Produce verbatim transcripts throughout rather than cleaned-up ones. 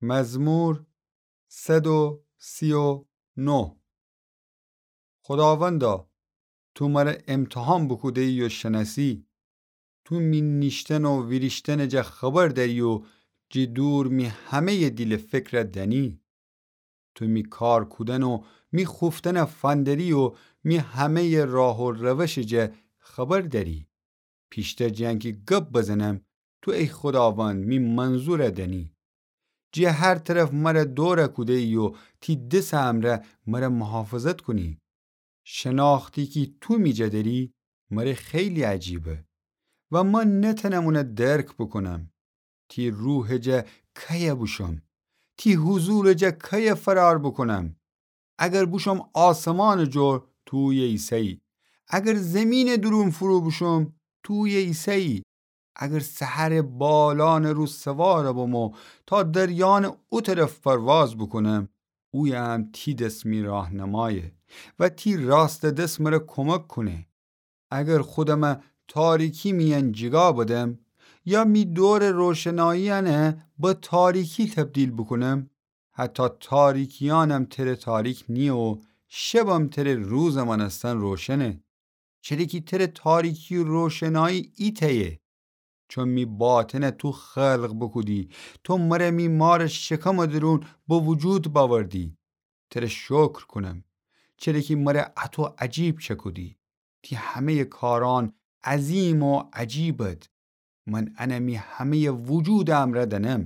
مزمور صد و سی و نه. خوداوندا، تو مره امتحان بوکوده‌یی و شنأسی. تو می نیشتن و ویریشتنٚ جا خبر دأری و جٚه دور می همه‌یٚ دیل و فکر دأنی. تو می کار کودن و می خوفتن فندری و می همه‌یٚ راه و روشٚ جا خبر دأری. پیشتر جٚه انکی گب بزنم، تو ای خوداوند می منظور دأنی. جٚه هر طرف مره دور کوده‌یی و تی دسٚ امرأ مره محافظت کونی. شناختی کی تو می جا دأری، مره خیلی عجیبه و من نتأنم اونه درک بوکونم. تی روحٚ جا کیه بوشوم؟ تی حضورٚ جا کیه فرار بوکونم؟ اگر بوشوم آسمانٚ جور، تو اویه ایسه‌یی. اگر زیمینٚ دورون فرو بوشوم، تو اویه ایسه‌یی. اگر سحرٚ بالانٚ رو سوار بوم و تا دریانٚ او طرف پرواز بوکونم، اویه هم تی دس می راهنمایه و تی راستٚ دس مره کمک کونه. اگر خودم تاریکی میأن جیگا بدم یا می دورٚ روشناییأن به تاریکی تبدیل بوکونم، حتی تاریکیأنم تره تاریک نییه و شبم تره روزٚ مأنستن روشنه. چره کی تره تاریکی و روشنایی ایتأیه. چون می باطن تو خلق بوکودی، تو مره می مارٚ شکمٚ درون به وجود بأوردی. تره شکر کونم، چره کی مره اطو عجیب چکودی. تی همه‌یٚ کارأن عظیم و عجیبد. من انه می همه‌یٚ وجودٚ امرأ دأنم.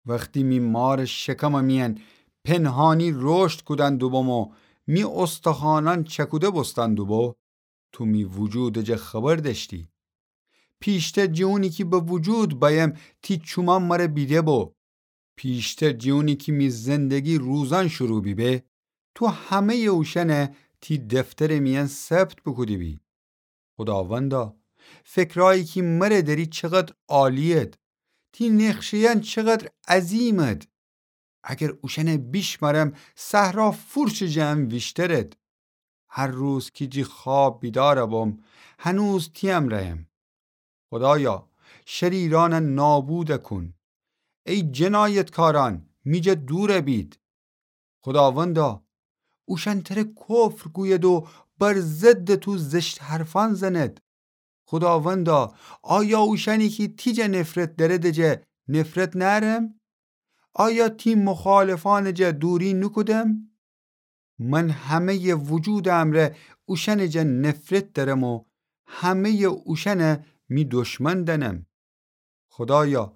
وختی می مارٚ شکمٚ میأن پنهانی رشد کودن دوبوم و می استخوانأن چکوده بوستن دوبو، تو می وجودٚ جا خبر دأشتی. پیشتر جٚه اونی کی به وجود بأیم، تی چومأن مره بیده بو. پیشتر جٚه اونی کی می زندگی روزأن شروع بیبه، تو همه‌یٚ اوشأنه تی دفترٚ میأن ثبت بوکوده بی. خوداوندا، فکرأیی کی مره دأری چقدر عالیید. تی نقشه‌یأن چقدر عظیمید. اگر اوشأنه بیشمرم، صحرا فورچٚ جٚه ان ویشترید. هر روز کی جٚه خواب بیدار بوم، هنوز تی امرأیم. خودایا، شریرأنه نابود کون. ای جنایتکارأن، می جا دور بید. خوداوندا، اوشأن تره کفر گوید و بر ضدٚ تو زشت حرفأن زند. خوداوندا، آیا اوشأنی کی تی جا نفرت دأرده جا نفرت نأرم؟ آیا تی مخالفأنٚ جا دوری نوکودم؟ من همه‌یٚ وجودٚ امرأ اوشأنٚ جا نفرت دأرم و همه‌یٚ اوشأنه می دشمن دأنم. خودایا،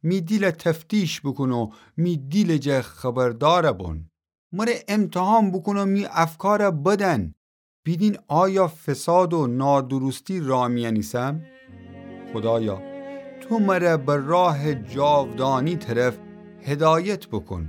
می دیل تفتیش بوکون و می دیلٚ جا خبردار بون. مره امتحان بوکون و می افکار بدأن. بیدین آیا فساد و نادرستی راه میأن ایسم؟ خودایا، تو مره به راهٚ جاودانی طرف هدایت بوکون.